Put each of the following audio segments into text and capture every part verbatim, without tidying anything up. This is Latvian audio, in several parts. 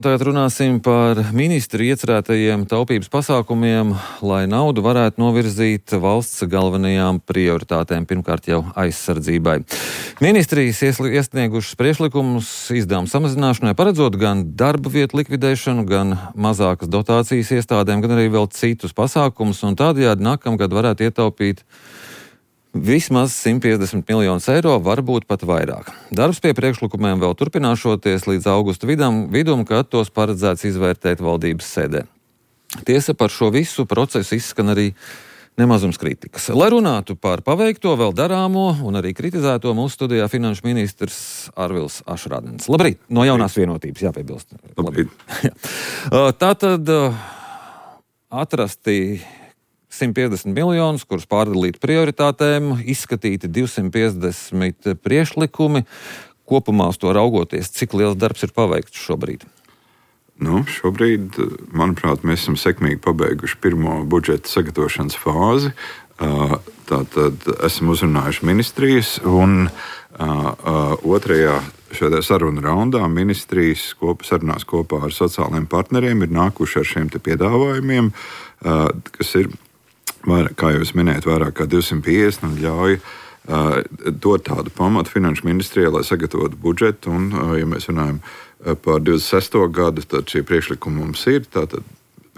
Tagad runāsim par ministru iecerētajiem taupības pasākumiem, lai naudu varētu novirzīt valsts galvenajām prioritātēm, pirmkārt jau aizsardzībai. Ministrijas iesniegušas priekšlikumus izdevumu samazināšanai, paredzot gan darba vietu likvidēšanu, gan mazākas dotācijas iestādēm, gan arī vēl citus pasākumus, un tādējādi nākamgad varētu ietaupīt vismaz simt piecdesmit miljonus eiro, varbūt pat vairāk. Darbs pie priekšlikumiem vēl turpināšoties līdz augusta vidam, vidum, kad tos paredzēts izvērtēt valdības sēdē. Tiesa, par šo visu procesu izskan arī nemazums kritikas. Lai runātu par paveikto, vēl darāmo un arī kritizēto, mūsu studijā finanšu ministrs Arvils Ašrādens. Labrīt! No Jaunās Vienotības, jāpiebilst. Labrīt! Tātad atrasti simt piecdesmit miljonus, kurus pārdalīt prioritātēm, izskatīti divsimt piecdesmit priekšlikumi. Kopumā uz to raugoties, cik liels darbs ir paveikts šobrīd? Nu, šobrīd, manuprāt, mēs esam sekmīgi pabeiguši pirmo budžeta sagatavošanas fāzi. Tātad esam uzrunājuši ministrijas un otrajā šajā sarunu raundā ministrijas kopā, sarunās kopā ar sociālajiem partneriem ir nākuši ar šiem te piedāvājumiem, kas ir, kā jūs minējat, vairāk kā divsimt piecdesmit un ļauj uh, dot tādu pamatu finanšu ministrijai, lai sagatavotu budžetu. Un, uh, ja mēs runājam par divdesmit sesto gadu, tad šie priekšlikumi mums ir. Tātad,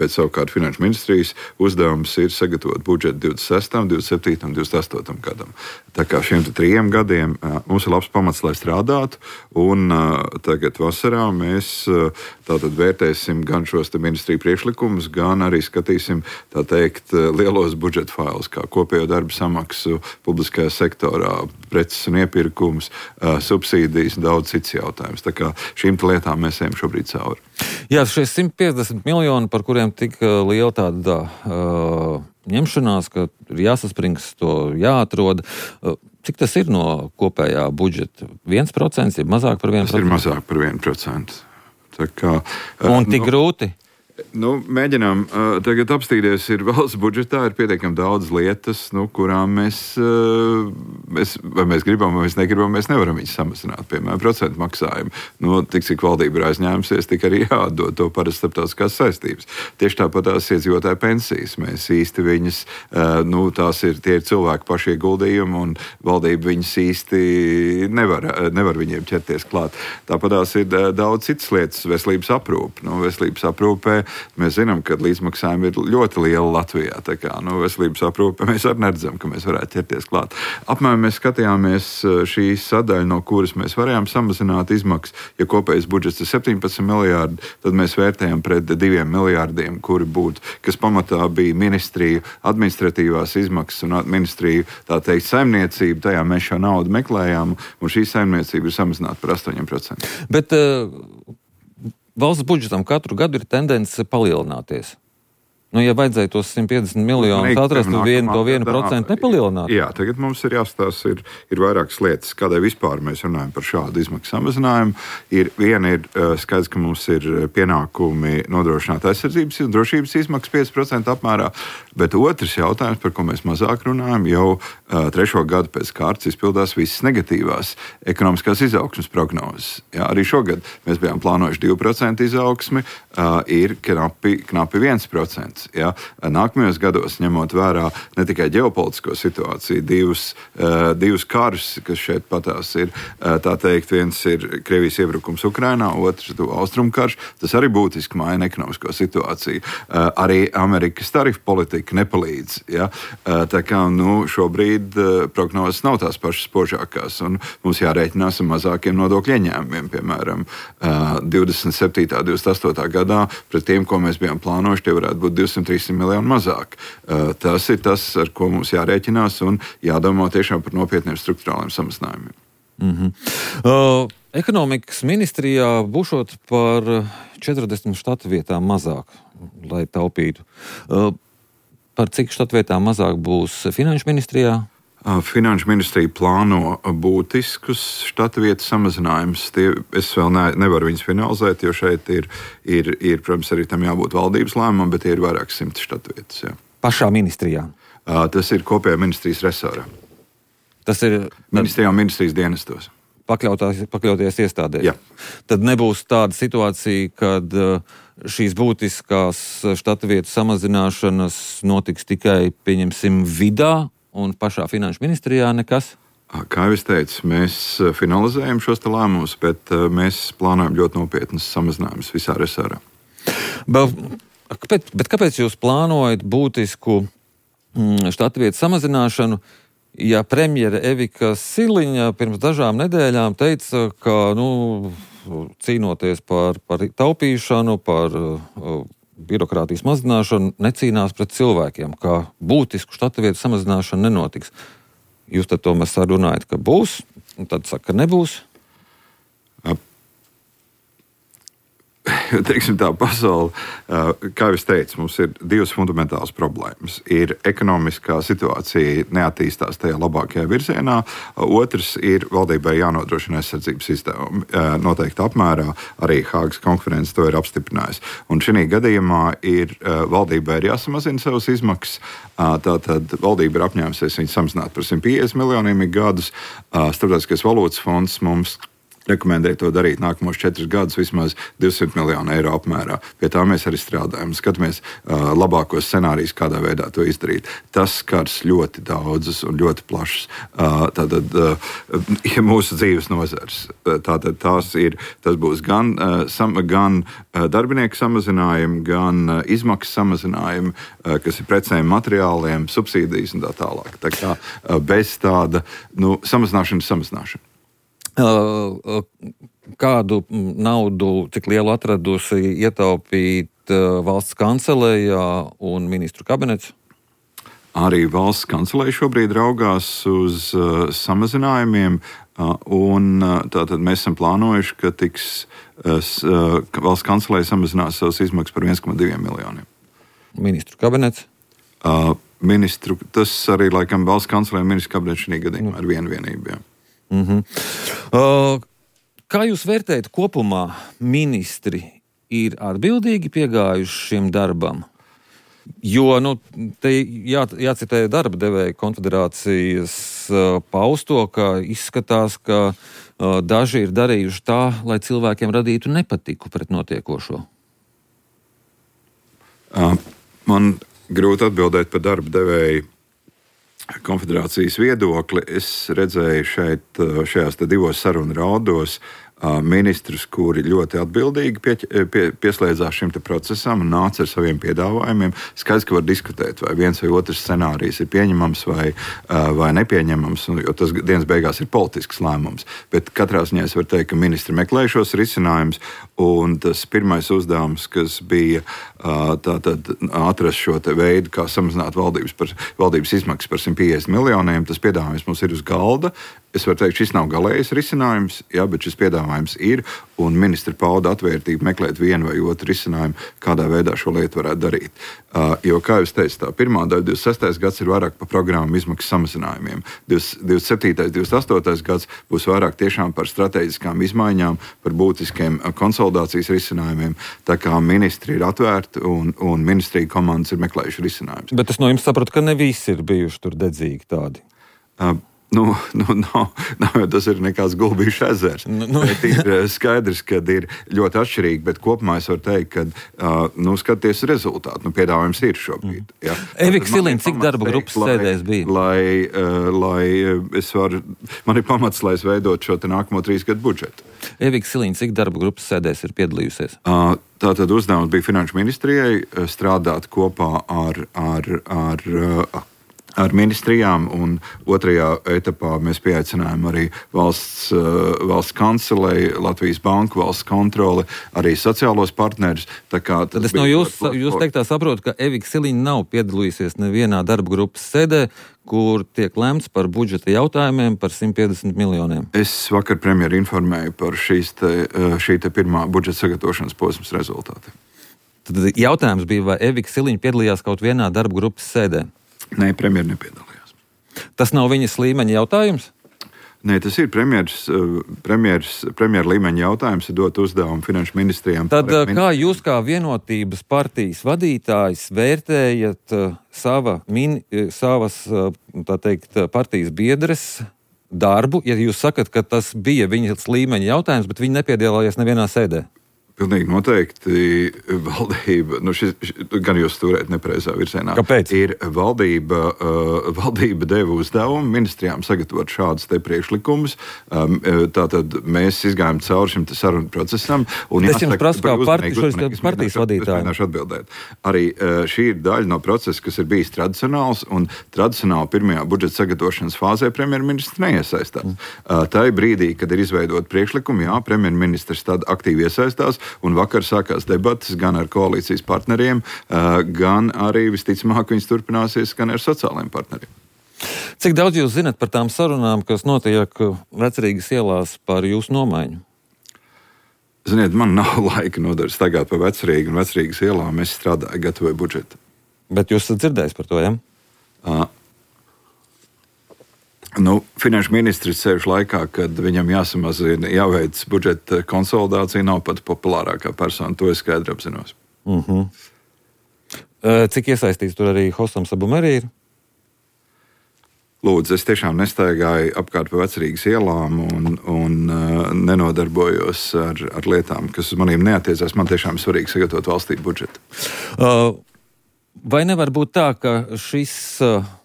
bet savukārt finanšu ministrijas uzdevums ir sagatavot budžetu divdesmit sestam, divdesmit septītam un divdesmit astotam gadam. Tā kā šiem trijiem gadiem uh, mums ir labs pamats, lai strādātu. Un uh, tagad vasarā mēs uh, tātad vērtēsim gan šos ministriju priekšlikumus, gan arī skatīsim, tā teikt, lielos budžeta failus, kā kopējo darba samaksu publiskajā sektorā, preces un iepirkums, uh, subsīdijas un daudz cits jautājums. Tā kā šīm lietām mēs ejam šobrīd cauri. Jā, šie simt piecdesmit miljoni, par kuriem tik liela tāda uh, ņemšanās, ka ir jāsaspringst, to jāatrod. Uh, cik tas ir no kopējā budžeta? viens procents, ja mazāk par vienu procentu? Tas ir mazāk par vienu procentu. Tā kā, uh, Un tik nu, grūti? Nu, mēģinām uh, tagad apstīties, ir valsts budžetā, ir pietiekami daudz lietas, nu, kurām mēs, uh, mēs, vai mēs gribam, vai mēs negribam, mēs nevaram viņus samazināt. Piemēram, procentu maksājumu. Nu, tik cik valdība ir aizņēmusies, tik arī jādod to parasti starptautiskās saistības. Tieši tāpat tās iedzīvotāju pensijas. Mēs īsti viņas, uh, nu, tās ir, tie ir cilvēku paši ieguldījumi, un valdība viņas īsti nevar, nevar viņiem ķerties klāt. Tāpat tās ir uh, daudz citas lietas, veselības aprūpe. Nu, veselības aprūpē mēs zinām, ka līdzmaksājumi ir ļoti lieli Latvijā. Tā kā nu, veselības aprūpe mēs arī neredzam, ka mēs varētu ķerties klāt. Apmēram mēs skatījāmies šī sadaļa, no kuras mēs varējām samazināt izmaksas. Ja kopējais budžets ir septiņpadsmit miljārdi, tad mēs vērtējam pret diviem miljārdiem, kuri būtu, kas pamatā bija ministriju administratīvās izmaksas un ministriju, tā teikt, saimniecība. Tajā mēs šo naudu meklējām, un šī saimniecība ir samazināta par astoņiem procentiem. Bet uh... valsts budžetam katru gadu ir tendence palielināties. Nu, ja vajadzēja tos simt piecdesmit miljonus atrast, tad vienu to vienu procentu nepalielināt. Jā, tagad mums ir jāstāsta, ir, ir vairākas lietas, kādēļ vispār mēs runājam par šādu izmaksu samazinājumu. Ir, viena ir skaidrs, ka mums ir pienākumi nodrošināt aizsardzības un drošības izmaksas pieci procenti apmērā, bet otrs jautājums, par ko mēs mazāk runājam, jau uh, trešo gadu pēc kārtas izpildās visas negatīvās ekonomiskās izaugsmes prognozes. Jā, arī šogad mēs bijām plānojuši divu procentu izaugsmi, uh, ir knapi, knapi viens procents. Ja, nākamajos gados, ņemot vērā ne tikai ģeopolitisko situāciju, divus, uh, divus karus, kas šeit patās ir, uh, tā teikt, viens ir Krievijas iebrukums Ukrainā, otrs austrumu karš, tas arī būtiski maina ekonomisko situāciju. Uh, arī Amerikas tarifu politika nepalīdz. Ja, uh, tā kā nu, šobrīd uh, prognozes nav tās pašas spožākās, un mums jārēķinās ar mazākiem nodokļu ieņēmumiem, piemēram, uh, divdesmit septītā, divdesmit astotā gadā, pret tiem, ko mēs bijām plānojuši, tie varētu būt divsimt trīsimt miljoni mazāk. Tas ir tas, ar ko mums jārēķinās un jādomā tiešām par nopietniem struktūrāliem samazinājumiem. Mm-hmm. Uh, ekonomikas ministrijā būšot par četrdesmit štatu vietām mazāk, lai taupītu. Uh, par cik štatu vietām mazāk būs finanšu ministrijā? Finanšu ministrija plāno būtiskus štata vietu samazinājumus. Tie, es vēl ne, nevaru viņus finalizēt, jo šeit ir, ir, ir, protams, arī tam jābūt valdības lēmumam, bet tie ir vairāk simti štata vietas. Jā. Pašā ministrijā? Tas ir kopējā ministrijas resorā. Tas ir... Ministrijā un ministrijas dienestos. pakļauties iestādēm. Jā. Tad nebūs tāda situācija, kad šīs būtiskās štata vietu samazināšanas notiks tikai, pieņemsim, vidā un pašā finanšu ministrijā nekas? Kā jau es teicu, mēs finalizējam šos te lēmumus, bet mēs plānojam ļoti nopietnas samazinājumus visā resorā. Bet, bet, bet kāpēc jūs plānojat būtisku štata vietu samazināšanu, ja premjere Evika Siliņa pirms dažām nedēļām teica, ka, nu, cīnoties par, par taupīšanu, par uh, birokrātijas mazināšanu, necīnās pret cilvēkiem, ka būtisku štata vietu samazināšanu nenotiks. Jūs tad tomēr sarunājat, ka būs, un tad saka, ka nebūs? Teiksim tā, pasaule, kā jau es teicu, mums ir divas fundamentālas problēmas. Ir ekonomiskā situācija neattīstās tajā labākajā virzienā. Otrs ir valdībai jānodrošina aizsardzības izdevumi noteikta apmērā. Arī Hāgas konferences to ir apstiprinājusi. Un šī gadījumā ir valdībai ir jāsamazina savas izmaksas. Tātad valdība ir apņēmusies viņu samazināt par simt piecdesmit miljoniem gadus. Starptautiskais valūtas fonds mums rekomendēja to darīt nākamos četrus gadus vismaz divsimt miljonu eiro apmērā. Pie tā mēs arī strādājam. Skatāmies uh, labākos scenārijus, kādā veidā to izdarīt. Tas skars ļoti daudzus un ļoti plašus uh, tātad, uh, mūsu dzīves nozars. Tātad tās ir, tas būs gan, uh, sam, gan uh, darbinieku samazinājumi, gan uh, izmaksu samazinājumi, uh, kas ir precēm, materiāliem, subsīdijas un tā tālāk. Tā kā uh, bez tāda nu, samazināšana, samazināšana. Kādu naudu, cik lielu atradusi ietaupīt valsts kancelējā un ministru kabinets? Arī valsts kancelēja šobrīd raugās uz uh, samazinājumiem, uh, un uh, tātad mēs esam plānojuši, ka tiks uh, valsts kancelēja samazinās savas izmaksas par viens komats divi miljoniem. Ministru kabinets? Uh, ministru, tas arī laikam valsts kancelēja un ministru kabinets šī gadījumā ar vienu vienību. Jā. Mm-hmm. Uh, kā jūs vērtējat kopumā, ministri ir atbildīgi piegājuši šim darbam? Jo, nu, te jā, jācitē darba devēja konfederācijas uh, pausto, ka izskatās, ka uh, daži ir darījuši tā, lai cilvēkiem radītu nepatiku pret notiekošo. Uh, man grūti atbildēt par darba devēju konfederācijas viedokli. Es redzēju šeit, šajās divos sarunu raudos ministrus, kuri ļoti atbildīgi pie, pie, pieslēdzās šim procesam un nāca ar saviem piedāvājumiem. Skaidrs, ka var diskutēt, vai viens vai otrs scenārijs ir pieņemams vai, vai nepieņemams, jo tas dienas beigās ir politisks lēmums. Bet katrā ziņā es varu teikt, ka ministri meklē šos risinājumus, un tas pirmais uzdevums, kas bija tātad atrast šo te veidu, kā samazināt valdības, par, valdības izmaksas par simt piecdesmit miljoniem, tas piedāvājums mums ir uz galda. Es varu teikt, šis nav galējais risinājums, jā, bet šis piedāvājums ir, un ministri pauda atvērtību meklēt vienu vai otru risinājumu, kādā veidā šo lietu varētu darīt. Uh, jo, kā jau es teicu, tā pirmā daļa, divdesmit sestais gads ir vairāk par programmu izmaksu samazinājumiem. divdesmit septītais, divdesmit astotais gads būs vairāk tiešām par strateģiskām izmaiņām, par būtiskiem konsolidācijas risinājumiem. Tā kā ministri ir atvērti un, un ministrija komandas ir meklējuši risinājumus. Bet es no jums saprotu, ka ne visi ir bijuši tur dedzīgi tādi. Uh, Nu, nu, nav, nav, tas ir nekāds gulbīšu ezers. Nu, nu. Ir skaidrs, ka ir ļoti atšķirīgi, bet kopumā es varu teikt, ka uh, nu, skaties rezultātu. Nu, piedāvājums ir šobrīd. Ja. Evika Siliņa, cik darba grupas sēdēs bija? Lai, uh, lai es varu, man ir pamats, lai es veidot šo te nākamo trīs gadu budžetu. Evika Siliņa, cik darba grupas sēdēs ir piedalījusies? Uh, tātad uzdevums bija Finanšu ministrijai strādāt kopā ar, ar, ar uh, ar ministrijām, un otrajā etapā mēs pieaicinājām arī valsts, valsts kancelei, Latvijas banku, valsts kontroli, arī sociālos partnerus. Tad es no jūs, jūs teiktā saprotu, ka Evika Siliņa nav piedalījusies nevienā darba grupas sēdē, kur tiek lemts par budžeta jautājumiem par simt piecdesmit miljoniem. Es vakar premjeru informēju par šīs te, šī te pirmā budžeta sagatavošanas posmas rezultātiem. Tad jautājums bija, vai Evika Siliņa piedalījās kaut vienā darba grupas sēdē? Nē, premjeri nepiedalījās. Tas nav viņas līmeņa jautājums? Nē, tas ir premjeras, premjeras, premjera līmeņa jautājums, ir dot uzdevumu finanšu ministrijām. Tad kā jūs kā vienotības partijas vadītājs vērtējat sava, min, savas, tā teikt, partijas biedres darbu, ja jūs sakat, ka tas bija viņas līmeņa jautājums, bet viņi nepiedalījās nevienā sēdē? Pilnīgi noteikti valdība, nu šis, gan jūs stūrēt nepareizā virzienā. Kāpēc? Ir valdība, uh, valdība deva uzdevumu ministrijām sagatavot šādus te priekšlikumus. Um, tātad mēs izgājām cauri šim sarunu procesam. Un es jums prasu kā partijas, partijas vadītāji. Atbildēt. Arī uh, šī ir daļa no procesa, kas ir bijis tradicionāls, un tradicionāli pirmajā budžeta sagatavošanas fāzē premjerministrs neiesaistās. Mm. Uh, tā ir brīdī, kad ir izveidot priekšlikumu, jā, premjerministrs tad aktīvi iesaistās, un vakar sākās debatas gan ar koalīcijas partneriem, gan arī visticamāk viņas turpināsies gan ar sociālajiem partneriem. Cik daudz jūs zinat par tām sarunām, kas notiek Vecrīgas ielās par jūsu nomaiņu? Ziniet, man nav laika nodaļas tagad par Vecrīgu un Vecrīgas ielām. Es strādāju, gatavoju budžetu. Bet jūs esat dzirdējis par to, ja? Uh, Nu, finanšu ministrs sēž laikā, kad viņam jāsamazina, jāveic budžeta konsolidācija, nav pat populārākā persona. To es skaidri apzinos. Uh-huh. Cik iesaistīts tur arī Hosam Sabumeri ir? Lūdzu, es tiešām nestaigāju apkārt pa Vecrīgas ielām un, un uh, nenodarbojos ar, ar lietām, kas uz maniem neatiecās. Man tiešām svarīgi sagatavot valstī budžetu. Uh, vai nevar būt tā, ka šis... Uh,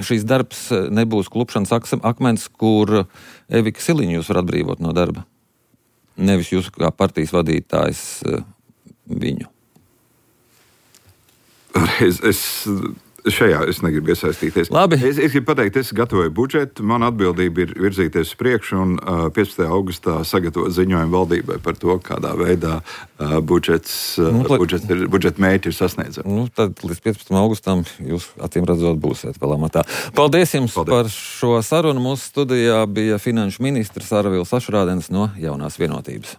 šīs darbs nebūs klupšanas akmens, kur Evika Siliņu jūs var atbrīvot no darba? Nevis jūs kā partijas vadītājs viņu. Es, es, šajā es negribu iesaistīties. Labi. Es, es gribu pateikt, es gatavoju budžetu, man atbildība ir virzīties uz priekšu un uh, piecpadsmitajā augustā sagatavot ziņojumu valdībai par to, kādā veidā uh, budžets, uh, nu, budžets ir, budžeta mērķi ir sasniedzami. Nu, tad līdz piecpadsmitajam augustam jūs acīm redzot būsiet vēl amatā. Paldies jums Paldies. Par šo sarunu. Mūsu studijā bija finanšu ministrs Arvils Ašrādens no Jaunās Vienotības.